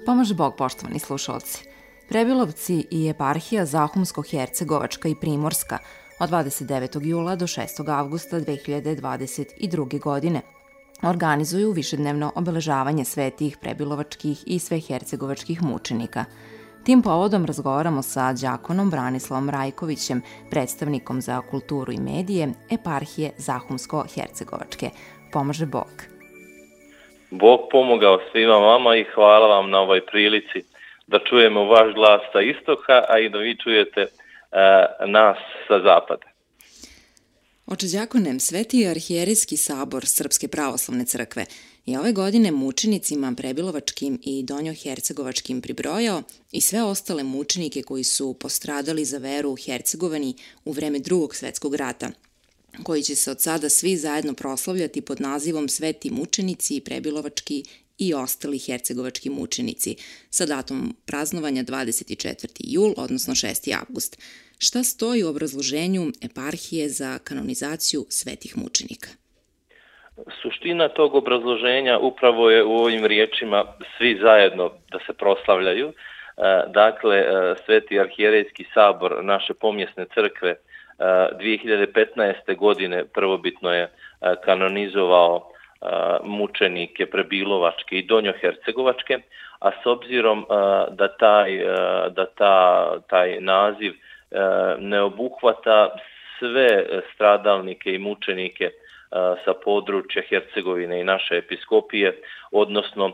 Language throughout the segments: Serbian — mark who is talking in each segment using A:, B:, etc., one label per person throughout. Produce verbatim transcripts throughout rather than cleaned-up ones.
A: Pomože Bog, poštovani slušalci. Prebilovci i eparhija Zahumsko-Hercegovačka i Primorska od dvadeset devetog jula do šestog avgusta dve hiljade dvadeset druge. godine organizuju višednevno obeležavanje svetih prebilovačkih i svehercegovačkih mučenika. Tim povodom razgovaramo sa đakonom Branislavom Rajkovićem, predstavnikom za kulturu i medije eparhije Zahumsko-Hercegovačke. Pomože Bog.
B: Bog pomogao svima vama i hvala vam na ovoj prilici da čujemo vaš glas sa istoka, a i da vi čujete e, nas sa zapada.
A: Oče đakone, Sveti arhijerijski sabor Srpske pravoslavne crkve je ove godine mučenicima prebilovačkim i donjohercegovačkim pribrojao i sve ostale mučenike koji su postradali za veru u Hercegovini u vreme Drugog svetskog rata, koji će se od sada svi zajedno proslavljati pod nazivom Sveti mučenici, prebilovački i ostali hercegovački mučenici, sa datumom praznovanja dvadeset četvrti jul, odnosno šesti avgust. Šta stoji u obrazloženju eparhije za kanonizaciju svetih mučenika?
B: Suština tog obrazloženja upravo je u ovim riječima svi zajedno da se proslavljaju. Dakle, Sveti arhijerejski sabor naše pomjesne crkve dve hiljade petnaeste. godine prvobitno je kanonizovao mučenike prebilovačke i donjohercegovačke, a s obzirom da taj, da ta, taj naziv ne obuhvata sve stradalnike i mučenike sa područja Hercegovine i naše episkopije, odnosno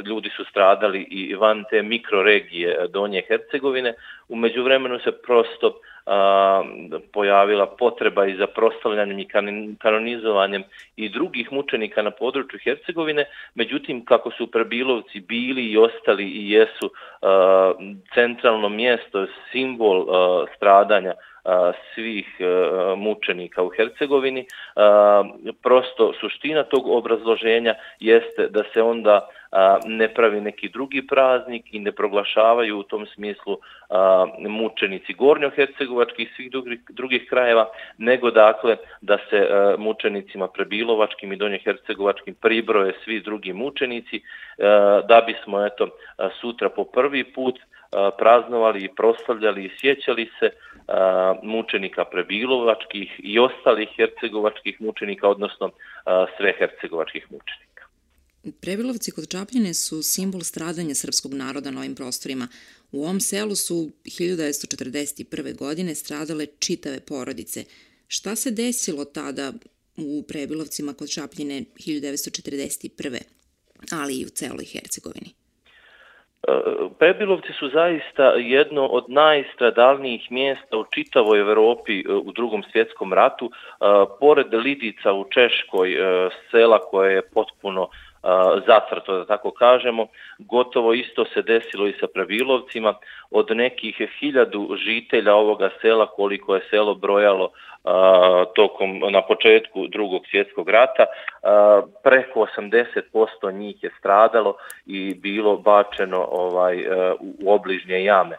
B: ljudi su stradali i van te mikroregije Donje Hercegovine. U međuvremenu se prosto pojavila potreba i za proslavljanjem i kanonizovanjem i drugih mučenika na području Hercegovine, međutim kako su prebilovci bili i ostali i jesu centralno mjesto, simbol stradanja svih mučenika u Hercegovini, prosto suština tog obrazloženja jeste da se onda ne pravi neki drugi praznik i ne proglašavaju u tom smislu mučenici gornjohercegovačkih i svih drugih, drugih krajeva, nego dakle da se mučenicima prebilovačkim i donjohercegovačkim pribroje svi drugi mučenici, da bismo eto sutra po prvi put praznovali i proslavljali i sjećali se mučenika prebilovačkih i ostalih hercegovačkih mučenika, odnosno sve hercegovačkih mučenika.
A: Prebilovci kod Čapljine su simbol stradanja srpskog naroda na ovim prostorima. U ovom selu su hiljadu devetsto četrdeset prve. godine stradale čitave porodice. Šta se desilo tada u Prebilovcima kod Čapljine hiljadu devetsto četrdeset prve. ali i u celoj Hercegovini?
B: Prebilovci su zaista jedno od najstradalnijih mjesta u čitavoj Evropi u Drugom svjetskom ratu. Pored Lidica u Češkoj, sela koje je potpuno zatrto, da tako kažemo, gotovo isto se desilo i sa Prebilovcima. Od nekih hiljadu žitelja ovoga sela, koliko je selo brojalo tokom na početku Drugog svjetskog rata, preko osamdeset posto njih je stradalo i bilo bačeno ovaj u obližnje jame.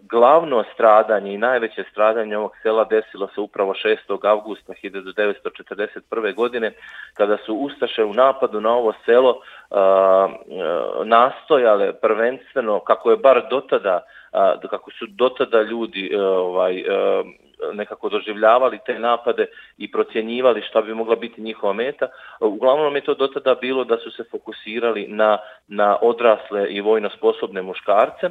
B: Glavno stradanje i najveće stradanje ovog sela desilo se upravo šestog avgusta hiljadu devetsto četrdeset prve. godine, kada su ustaše u napadu na ovo selo nastojale prvenstveno, kako je bar dotada, kako su dotada ljudi ovaj nekako doživljavali te napade i procjenjivali šta bi mogla biti njihova meta. Uglavnom je to dotada bilo da su se fokusirali na, na odrasle i vojno sposobne muškarce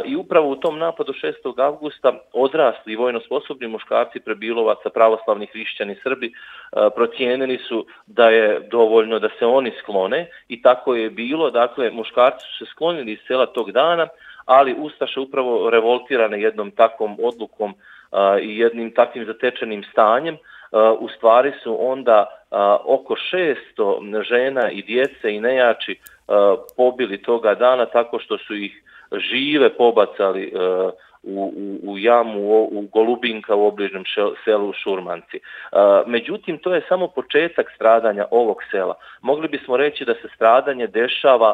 B: i upravo u tom napadu šestog avgusta odrasli i vojno sposobni muškarci Prebilovaca, pravoslavni hrišćani Srbi, procijenili su da je dovoljno da se oni sklone i tako je bilo. Dakle, muškarci su se sklonili iz sela tog dana, ali ustaše upravo revoltirane jednom takvom odlukom i jednim takvim zatečenim stanjem, u stvari su onda oko šesto žena i djece i nejači pobili toga dana tako što su ih žive pobacali u, u, u jamu u Golubinka u obližnjem selu Šurmanci. Međutim, to je samo početak stradanja ovog sela. Mogli bismo reći da se stradanje dešava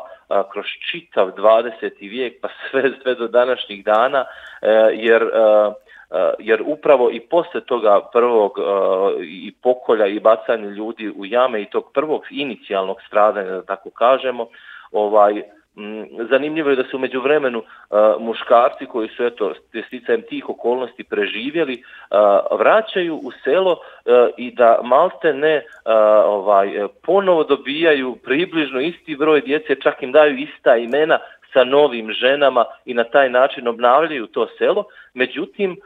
B: kroz čitav dvadeseti vijek pa sve, sve do današnjih dana, jer jer upravo i posle toga prvog i pokolja i bacanja ljudi u jame i tog prvog inicijalnog stradanja, da tako kažemo, ovaj, zanimljivo je da su u međuvremenu uh, muškarci koji su eto sticajem tih okolnosti preživjeli uh, vraćaju u selo uh, i da malte ne uh, ovaj, ponovo dobijaju približno isti broj djece, čak im daju ista imena sa novim ženama i na taj način obnavljaju to selo. Međutim, uh,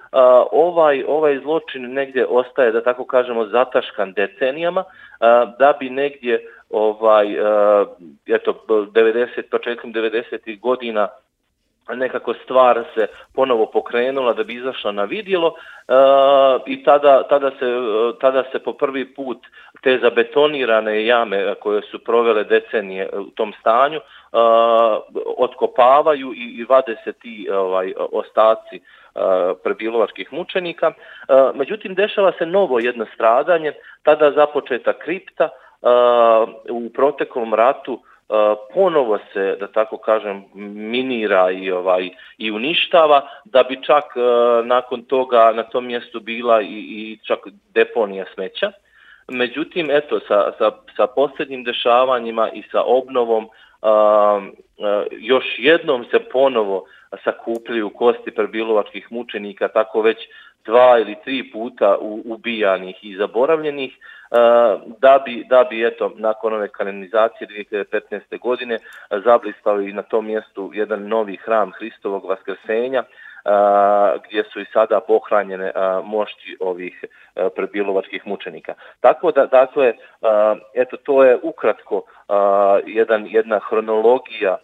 B: ovaj, ovaj zločin negdje ostaje, da tako kažemo, zataškan decenijama, uh, da bi negdje ovaj, uh, eto, devedeset, početkom devedesetih godina nekako stvar se ponovo pokrenula da bi izašla na vidjelo uh, i tada, tada, se, uh, tada se po prvi put te zabetonirane jame koje su provele decenije u tom stanju uh, otkopavaju i, i vade se ti ovaj, ostaci uh, prebilovačkih mučenika. Uh, međutim, dešava se novo jedno stradanje, tada započeta kripta. Uh, u proteklom ratu uh, ponovo se, da tako kažem, minira i ovaj i uništava, da bi čak uh, nakon toga na tom mjestu bila i, i čak deponija smeća. Međutim, eto, sa, sa, sa posljednjim dešavanjima i sa obnovom uh, uh, još jednom se ponovo sakupljaju kosti prebilovačkih mučenika, tako već dva ili tri puta ubijanih i zaboravljenih, da bi, da bi eto, nakon ove kanonizacije dvije hiljade petnaeste. godine zablistali na tom mjestu jedan novi hram Hristovog vaskrsenja, gdje su i sada pohranjene mošti ovih prebilovačkih mučenika. Tako da, dakle, eto, to je ukratko jedan, jedna hronologija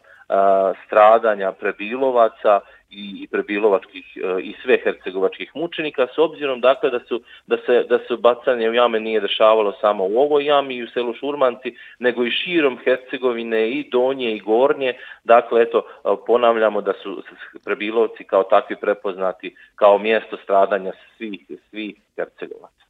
B: stradanja prebilovaca i prebilovačkih i sve hercegovačkih mučenika, s obzirom dakle da su da se da se bacanje u jame nije dešavalo samo u ovoj jami i u selu Šurmanci, nego i širom Hercegovine, i donje i gornje. Dakle, eto, ponavljamo da su Prebilovci kao takvi prepoznati kao mjesto stradanja svih svih Hercegovaca.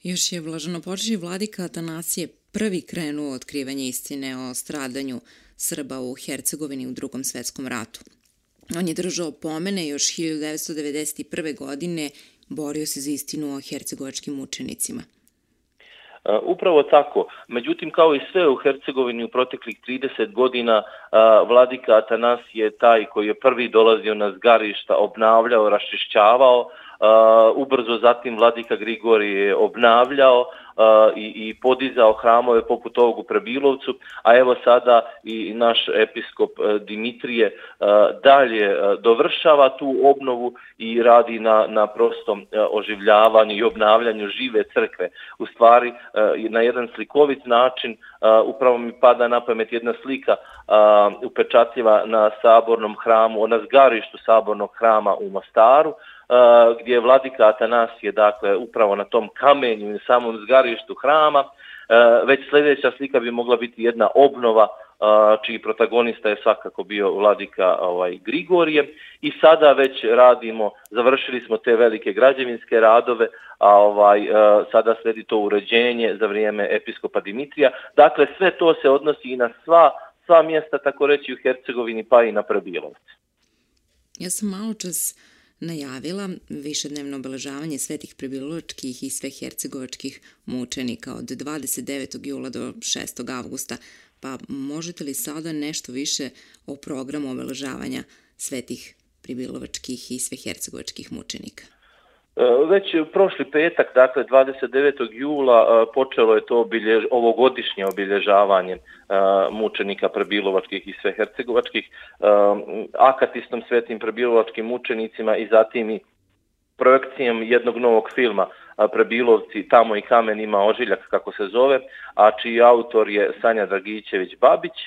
A: Još je blaženopočivši vladika Atanasije prvi krenuo u otkrivanje istine o stradanju Srba u Hercegovini u Drugom svjetskom ratu. On je držao pomene još hiljadu devetsto devedeset prve. godine, borio se za istinu o hercegovačkim mučenicima.
B: Uh, upravo tako. Međutim, kao i sve u Hercegovini u proteklih trideset godina, uh, vladika Atanasije je taj koji je prvi dolazio na zgarišta, obnavljao, raščišćavao, uh, ubrzo zatim vladika Grigorije je obnavljao uh, i, i podizao hramove poput ovog u Prebilovcu, a evo sada i naš episkop uh, Dimitrije uh, dalje uh, dovršava tu obnovu i radi na, na prostom uh, oživljavanju i obnavljanju žive crkve. U stvari, uh, na jedan slikovit način, uh, upravo mi pada na pamet jedna slika uh, upečatljiva na sabornom hramu, na zgarištu sabornog hrama u Mostaru, uh, gdje je vladika Atanasije, dakle, upravo na tom kamenju i samom zgarištu hrama. Uh, već sljedeća slika bi mogla biti jedna obnova, uh, čiji protagonista je svakako bio vladika ovaj, Grigorije. I sada već radimo, završili smo te velike građevinske radove, a ovaj, uh, sada slijedi to uređenje za vrijeme episkopa Dimitrija. Dakle, sve to se odnosi i na sva, sva mjesta, tako reći, u Hercegovini, pa i na Prebilovce.
A: Ja sam malo čas najavila višednevno obeležavanje svetih prebilovačkih i sve hercegovačkih mučenika od dvadeset devetog jula do šestog avgusta. Pa možete li sada nešto više o programu obeležavanja svetih prebilovačkih i sve hercegovačkih mučenika?
B: Već prošli petak, dakle dvadeset devetog jula, počelo je to obiljež, ovogodišnje obilježavanje mučenika prebilovačkih i sve hercegovačkih, akatistom svetim prebilovačkim mučenicima i zatim i projekcijom jednog novog filma Prebilovci, tamo i kamen ima ožiljak, kako se zove, a čiji autor je Sanja Dragićević-Babić.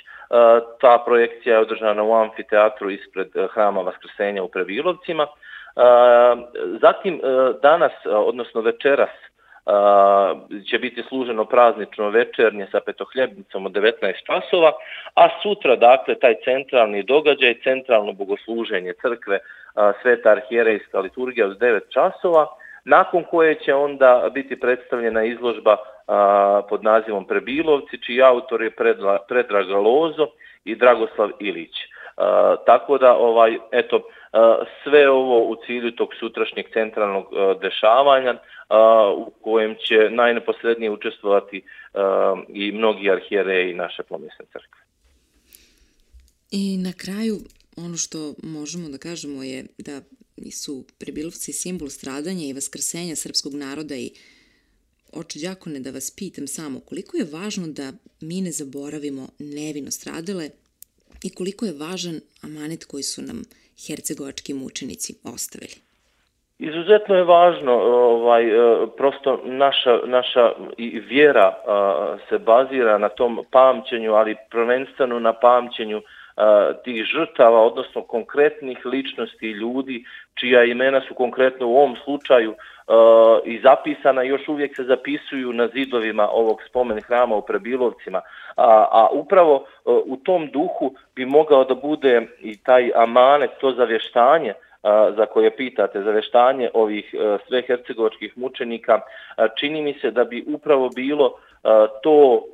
B: Ta projekcija je održana u amfiteatru ispred hrama Vaskrsenja u Prebilovcima. Zatim danas, odnosno večeras, će biti služeno praznično večernje sa petohljebnicom od devetnaest časova, a sutra, dakle, taj centralni događaj, centralno bogosluženje crkve, Sveta arhijerejska liturgija od devet časova, nakon koje će onda biti predstavljena izložba pod nazivom Prebilovci, čiji autor je Predrag Lozo i Dragoslav Ilić. Tako da, ovaj, eto, sve ovo u cilju tog sutrašnjeg centralnog dešavanja u kojem će najneposrednije učestvovati i mnogi arhijereji naše pomjesne crkve.
A: I na kraju, ono što možemo da kažemo je da su Prebilovci simbol stradanja i vaskrsenja srpskog naroda i oče đakone, da vas pitam samo, koliko je važno da mi ne zaboravimo nevino stradale i koliko je važan amanet koji su nam hercegovački mučenici ostavili?
B: Izuzetno je važno, ovaj, prosto naša, naša i vjera se bazira na tom pamćenju, ali prvenstveno na pamćenju tih žrtava, odnosno konkretnih ličnosti ljudi, čija imena su konkretno u ovom slučaju i zapisana, još uvijek se zapisuju na zidovima ovog spomen hrama u Prebilovcima. A, a upravo u tom duhu bi mogao da bude i taj amanet, to zavještanje za koje pitate, zavještanje ovih sve hercegovačkih mučenika. Čini mi se da bi upravo bilo to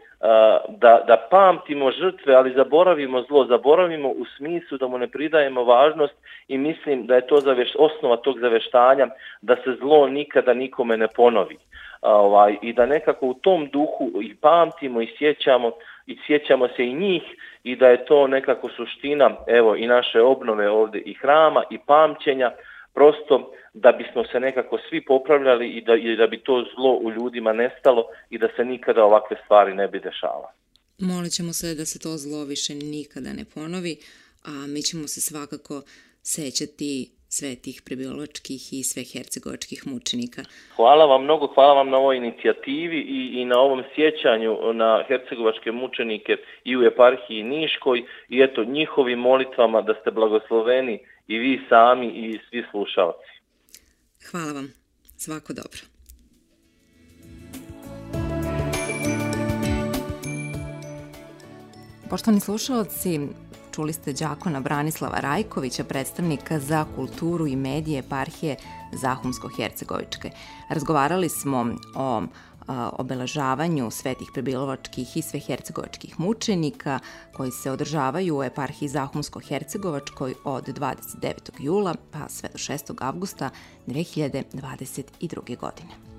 B: da, da pamtimo žrtve, ali zaboravimo zlo, zaboravimo u smislu da mu ne pridajemo važnost i mislim da je to zavješ, osnova tog zavještanja da se zlo nikada nikome ne ponovi. Ovaj, i da nekako u tom duhu i pamtimo i sjećamo i sjećamo se i njih i da je to nekako suština evo i naše obnove ovdje i hrama i pamćenja, prosto da bismo se nekako svi popravljali i da, i da bi to zlo u ljudima nestalo i da se nikada ovakve stvari ne bi dešavale.
A: Molit ćemo se da se to zlo više nikada ne ponovi, a mi ćemo se svakako sećati svetih prebilovačkih i sve hercegovačkih mučenika.
B: Hvala vam mnogo, hvala vam na ovoj inicijativi i, i na ovom sjećanju na hercegovačke mučenike i u eparhiji Niškoj i eto njihovim molitvama da ste blagosloveni i vi sami i svi slušalci.
A: Hvala vam. Svako dobro. Poštovani slušalci, čuli ste đakona Branislava Rajkovića, predstavnika za kulturu i medije eparhije Zahumsko-Hercegovičke. Razgovarali smo o obeležavanju svetih prebilovačkih i sve hercegovačkih mučenika koji se održavaju u eparhiji Zahumsko-Hercegovačkoj od dvadeset devetog jula pa sve do šestog avgusta dve hiljade dvadeset druge. godine.